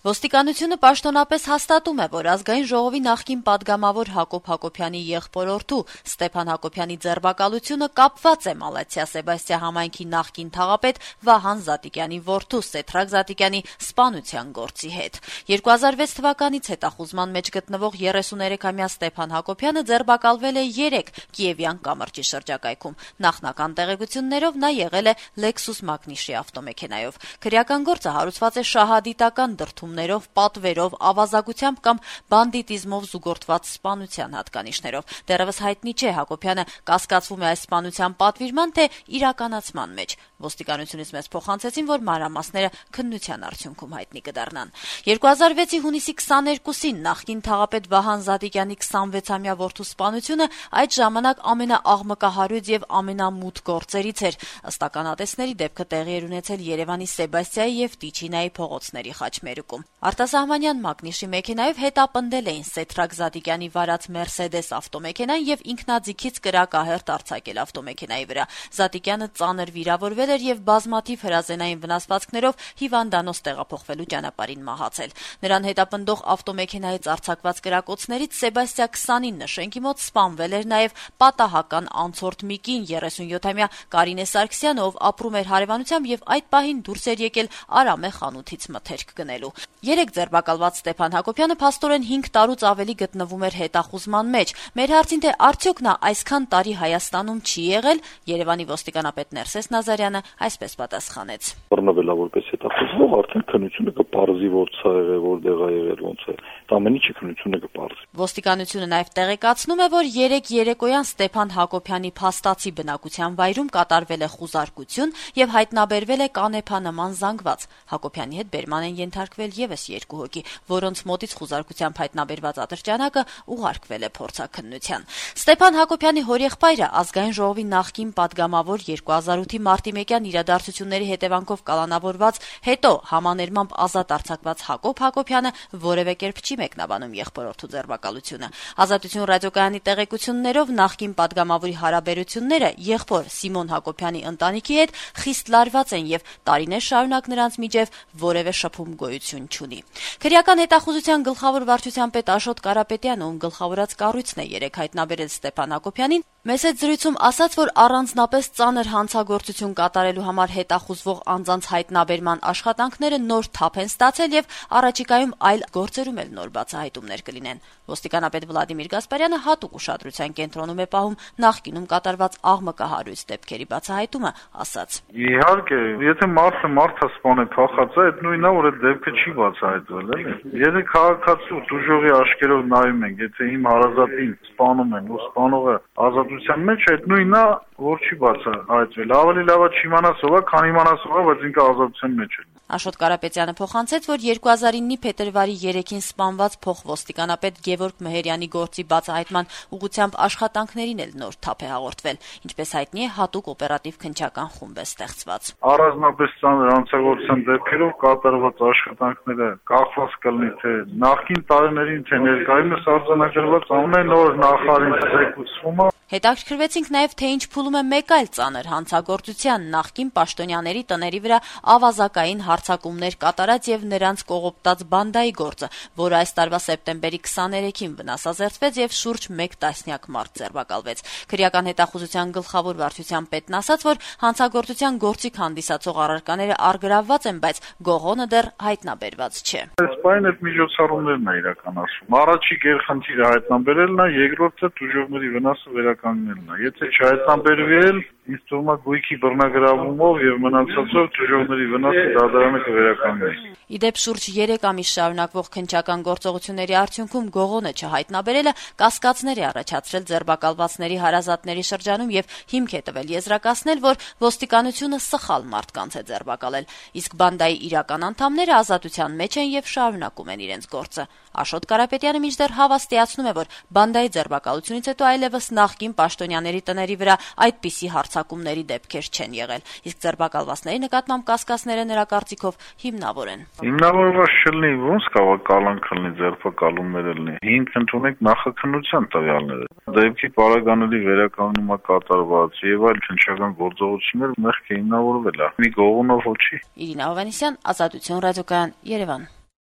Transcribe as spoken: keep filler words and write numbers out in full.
Ոստիկանությունը պաշտոնապես հաստատում է, որ ազգային ժողովի նախկին պատգամավոր Հակոբ Հակոբյանի եղբորորդու Ստեփան Հակոբյանի ձերբակալությունը կապված է Մալաթիա-Սեբաստիա համայնքի նախկին թաղապետ Վահան Զատիկյանի որդու Սեդրակ Զատիկյանի սպանության գործի հետ։ երկու հազար վեց թվականից հետախուզման մեջ գտնվող երեսուներեքամյա Ստեփան Հակոբյանը ձերբակալվել է երեք Կիևյան կամրջի շրջակայքում։ Նախնական տեղեկություններով նա եղել է Lexus Magnishի ավտոմեքենայով։ Քրեական գործը հարուցված է շահադիտական դրդումներով, պատվերով, ավազակությամբ կամ բանդիտիզմով զուգորդված սպանության հատկանիշներով։ Դեռևս հայտնի չէ Հակոբյանը կասկածվում է այս սպանության պատվիրման, թե իրականացման մեջ։ Ոստիկանությունից մեզ փոխանցեցին, որ մանրամասները քննության արդյունքում հայտնի կդառնան։ երկու հազար վեցի հունիսի քսաներկուսին նախկին թաղապետ Վահան Զատիկյանի քսանվեցամյա որդու սպանությունը այդ ժամանակ ամենաաղմկահարույց եւ ամենամութ գործերից էր։ Ըստ ականատեսների դեպքը տեղի էր ունեցել Երևանի Սեբաստիայի եւ Տիչինայի փողոցների խաչմերուկում։ Արտասահմանյան Մագնիշի մեքենայով հետապնդել էին Սեդրակ Զատիկյանի վարած Մերսեդես ավտոմեքենան եւ ինքնաձիգից կրակահերթ արձակել ավտոմեքենայի վրա։ Զատիկյանը ծանր վիրավորվել էր եւ բազմաթիվ հրազենային վնասվածքներով հիվանդանոց տեղափոխվելու ճանապարհին մահացել։ Նրան հետապնդող ավտոմեքենայից արձակված կրակոցներից Սեբաստիա քսանինը շենքի մոտ սպանվել էր նաեւ պատահական անցորդ մի կին երեսունյոթամյա Կարինե Սարգսյանը, ով ապրում էր հարևանությամբ եւ այդ պահին դուրս էր եկել Արամե խանութից մթերք գնելու։ Երեք ձերբակալված Ստեփան Հակոբյանը փաստորեն հինգ տարուց ավելի գտնվում էր հետախուզման մեջ։ Մեր հարցին, թե արդյոք նա այսքան տարի Հայաստանում չի եղել, Երևանի ոստիկանապետ Ներսես Նազարյանը այսպես պատասխանեց. Բռնվելա որպես հետախուզվող, արդեն քննությունը կպարզի, որ սա եղել, որտեղ է եղել, ոնց է։ Ամեն ինչի քննությունը կպարզի։ Ոստիկանությունը նաև տեղեկացնում է, որ երեք երեկոյան Ստեփան Հակոբյանի փաստացի բնակության վայրում կատարվել է խուզարկություն եւ հայտնաբերվել է կանեփանման զանգված։ Հակոբյանի հետ բերման են ենթարկվել եւս երկու հոգի, որոնց մոտից խուզարկությամբ հայտնաբերված ատրճանակը ուղարկվել է փորձաքննության։ Ստեփան Հակոբյանի հորեղբայրը ազգային ժողովի նախկին պատգամավոր երկու հազար ութի մարտի մեկյան իրադարձությունների հետևանքով կալանավորված, հետո համաներմամբ ազատ արձակված Հակոբ Հակոբյանը որևէ կերպ չի մեկնաբանում եղբորորդու ձերբակալությունը։ Ազատություն ռադիոկայանի տեղեկություններով նախկին պատգամավորի հարաբերությունները եղբոր Սիմոն Հակոբյանի ընտանիքի հետ խիստ լարված են եւ տարիներ շարունակ նրանց միջև որևէ շփում գոյություն չունի։ Քրեական հետախուզության գլխավոր վարչության պետ Աշոտ Կարապետյանը, ում գլխավորած կառույցն է երեք հայտնաբերել Ստեփան Հակոբյանին, մեծ հետ զրույցում ասաց, որ առանձնապես ծանր հանցագործություն կատարելու համար հետախուզվող անձանց հայտնաբերման աշխատանքները նոր թափ են ստացել եւ առաջիկայում այլ գործերում էլ նոր բացահայտումներ կլինեն։ Ոստիկանապետ Վլադիմիր Գասպարյանը հատուկ ուշադրության կենտրոնում է պահում նախկինում կատարված աղմկահարույց դեպքերի բացահայտումը, ասաց. Իհարկե, եթե մարդը մարդը սպան է փախած է, այդ նույնն է, որ այդ դեպքը չի բացահայտվել, էլի։ Եթե քաղաքացու դժողի աշկերով նայում ենք, եթե իմ հարազատին սպանում են ու սպանողը ազատության մեջ, այդ նույնն է, որ չի բացահայտվել։ Ավելի լավ է չիմանաս ով է, քան իմանաս ով է, բայց ինքը ազատության մեջ է։ Աշոտ Կարապետյանը փոխանցեց, որ երկու հազար իննի փետրվարի երեքին սպանված փոխոստիկանապետ Գևորգ Մեհերյանի գործի բացահայտման ուղղությամբ աշխատանքներին էլ նոր թափ է հաղորդվել։ Ինչպես հայտնի է, հատուկ օպերատիվ քննչական խումբ է ստեղծված։ Առանձնապես ծանր հանցագործության դեպքերով կատարված աշխատանքները կախված կլինի թե նախկին տարիներին, թե ներկայումս արձանագրված ամեն օր նախարարին ցեկուցումը։ Հետաքրքրվեցինք նաև, թե ինչ փուլում է մեկ այլ ծանր հանցագործության նախկին պաշտոնյաների տների վրա ավազակային հարձակումներ կատարած եւ նրանց կողոպտած բանդայի գործը, որը այս տարվա սեպտեմբերի քսաներեքին վնասազերծվեց եւ շուրջ մեկ տասնյակ մարդ ձերբակալվեց։ Քրեական հետախուզության գլխավոր վարչության պետն ասաց, որ հանցագործության գործիք հանդիսացող առարկաները առգրավված են, բայց գողոնը դեռ հայտնաբերված չէ։ Այս պայն այդ միջոցառումներն է իրականացվում։ Առաջի գերխնդիրը հայտնաբերելն է, երկրորդը դժողների վնասը վերականգնելն է։ Եթե չհայտնաբերվել, ինձ թվում է գույքի բռնագրավումով եւ մնացածով դժողների վնասը դատարանը կվերականգնի։ Իդեպ շուրջ երեք ամիս շարունակվող քննչական գործողությունների արդյունքում գողոնը չհայտնաբերելը կասկածներ է առաջացրել ձերբակալվածների հարազատների շրջանում եւ հիմք է տվել եզրակացնել, որ ոստիկանությունը սխալ մարդկանց է ձերբակալել, իսկ բանդայի իրական անդամները ազատության մեջ են եւ շարունակում են իրենց գործը։ Աշոտ Կարապետյանը մինչդեռ հավաստիացնում է, որ բանդայի ձերբակալությունից հետո այլևս նախկին պաշտոնյաների տների վրա այդպիսի հարձակումների դեպքեր չեն եղել, իսկ ձերբակալվածների նկատմամբ կասկածները նրա կարծիքով հիմնավոր են։ Հիմնավորված չլինի, ոնց կարող կալանք լինի ձերբակալումներ լինի։ Հիմք ընդունենք նախաքննության տվյալները։ Դեպքի պարագաների վերականգնումը կատարված եւ այլ քննչական գործողություններ մեղք է հիմնավորվել։ Մի գողոնով ոչի։ Իրինա Հովհաննիսյան, Ազատություն ռադիոկայան, Երևան։